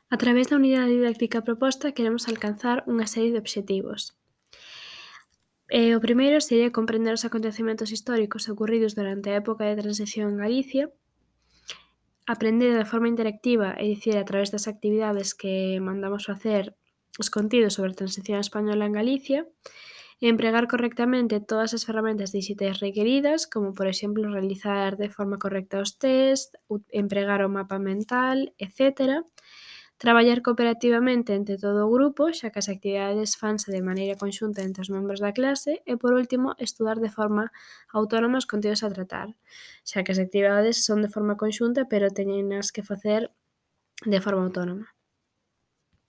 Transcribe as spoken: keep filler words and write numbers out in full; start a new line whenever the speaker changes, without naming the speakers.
A través da unidade didáctica proposta queremos alcanzar unha serie de obxectivos. Eh, o primeiro sería comprender os acontecementos históricos ocorridos durante a época de transición en Galicia, aprender de forma interactiva, é dicir, a través das actividades que mandamos facer os contidos sobre a transición española en Galicia, e empregar correctamente todas as ferramentas dixitais requeridas, como por exemplo realizar de forma correcta os test, empregar o mapa mental, etcétera. Traballar cooperativamente entre todo o grupo, xa que as actividades fanse de maneira conxunta entre os membros da clase e, por último, estudar de forma autónoma os contidos a tratar, xa que as actividades son de forma conxunta pero teñenas que facer de forma autónoma.